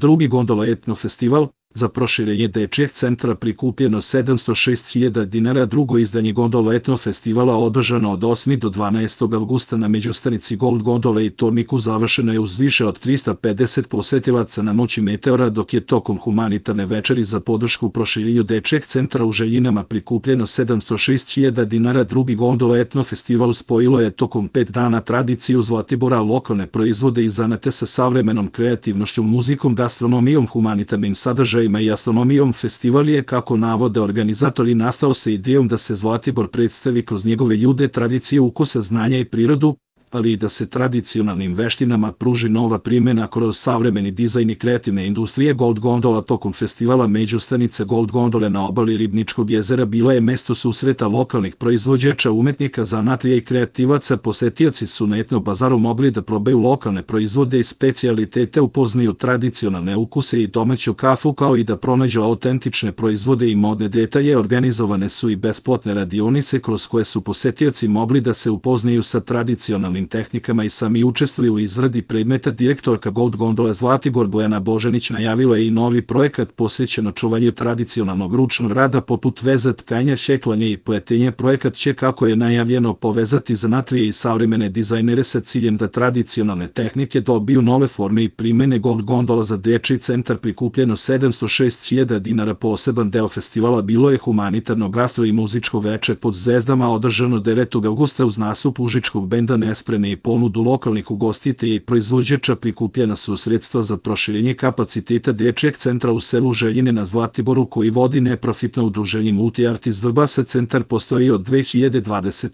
Drugi gondola etno festival, za proširenje dečijeg centra prikupljeno 706.000 dinara. Drugo izdanje gondola etno festivala održano od 8. do 12. avgusta na međustanici Gold Gondole i Torniku završeno je uz više od 350 posetilaca na noći Meteora, dok je tokom humanitarne večeri za podršku proširenju dečijeg centra u Željinama prikupljeno 706.000 dinara. Drugi gondola etno festival spojilo je tokom 5 dana tradiciju Zlatibora, lokalne proizvode i zanate sa savremenom kreativnošću, muzikom, gastronomijom, humanitarnim sadržajima i astronomijom. Festival je, kako navode organizatori, nastao sa idejom da se Zlatibor predstavi kroz njegove ljude, tradicije, ukusa, znanja i prirodu, ali i da se tradicionalnim veštinama pruži nova primjena kroz savremeni dizajn i kreativne industrije. Gold Gondola tokom festivala međustanice Gold Gondole na obali Ribničkog jezera bila je mesto susreta lokalnih proizvođača, umetnika, zanatlija i kreativaca. Posetioci su na etno bazaru mogli da probaju lokalne proizvode i specijalitete, upoznaju tradicionalne ukuse i domaću kafu, kao i da pronađu autentične proizvode i modne detalje. Organizovane su i besplatne radionice kroz koje su posetioci mogli da se upoznaju sa tradicionalnim tehnikama i sami učestvuju u izradi predmeta. Direktorka Gold Gondole Zlatibor Bojana Božanić najavila je i novi projekat posvećen očuvanju tradicionalnog ručnog rada poput veza, tkanja, šeklanja i pletenja. Projekat će, kako je najavljeno, povezati zanatlije i savremene dizajnere sa ciljem da tradicionalne tehnike dobiju nove forme i primene. Gold Gondola za dečiji centar prikupljeno 706.000 dinara. Poseban deo festivala bilo je humanitarno gastro i muzičko veče pod zvezdama, održano 9. avgusta uz nastup užičkog benda Nesprene i ponudu lokalnih ugostitelja i proizvođača. Prikupljena su sredstva za proširenje kapaciteta dečijeg centra u selu Željine na Zlatiboru, koji vodi neprofitno udruženje Multi-Art iz Vrbasa. Centar postoji od 2020.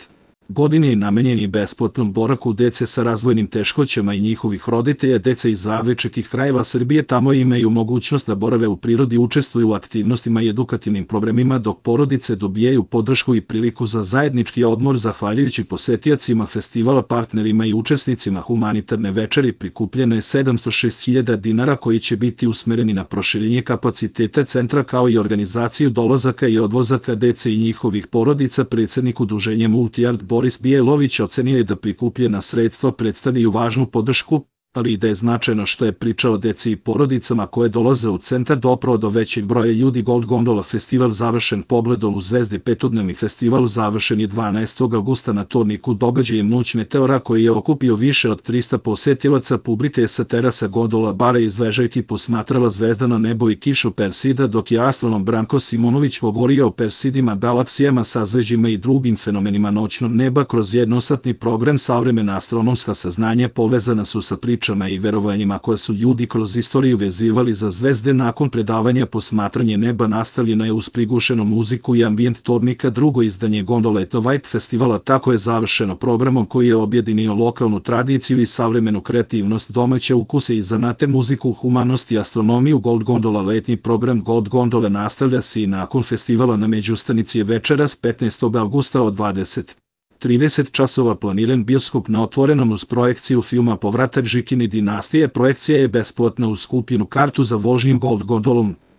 godine i namenjen je besplatnom boravku dece sa razvojnim teškoćama i njihovih roditelja. Deca iz različitih krajeva Srbije tamo imaju mogućnost da borave u prirodi, učestvuju u aktivnostima i edukativnim programima, dok porodice dobijaju podršku i priliku za zajednički odmor. Zahvaljujući posetiocima festivala, partnerima i učesnicima humanitarne večeri prikupljeno je 706.000 dinara koji će biti usmereni na proširenje kapaciteta centra, kao i organizaciju dolazaka i odlazaka dece i njihovih porodica. Predsednik udruženja Multi-Art Boris Bijelović ocenio je da prikupljena sredstva predstavljaju važnu podršku, ali i da je značajno što je priča o deci i porodicama koje dolaze u centar doprao do većeg broja ljudi. Gold Gondola festival završen pogledom u zvezde. Petodnevni festival završen je 12. avgusta na Torniku događajem Noć Meteora, koji je okupio više od 300 posetilaca. Publika je sa terasa gondola bara iz ležaljki posmatrala zvezdano nebo i kišu Persida, dok je astronom Branko Simonović govorio o Persidima, galaksijama, sazveđima i drugim fenomenima noćnog neba. Kroz jednosatni program savremena astronomska saznanja povezana su sa pričama i verovanjima koje su ljudi kroz istoriju vezivali za zvezde. Nakon predavanja posmatranje neba nastavljeno je uz prigušenu muziku i ambijent Tornika. Drugo izdanje Gondola Etno Vibe festivala tako je završeno programom koji je objedinio lokalnu tradiciju i savremenu kreativnost, domaće ukuse i zanate, muziku, humanost i astronomiju. Gold Gondola letnji program Gold Gondole nastavlja se i nakon festivala. Na međustanici je večeras 15. avgusta od 20:30 časova planiran bioskop na otvorenom uz projekciju filma Povratak Žikine dinastije. Projekcija je besplatna uz kupljenu kartu za vožnju Gold Gondolom.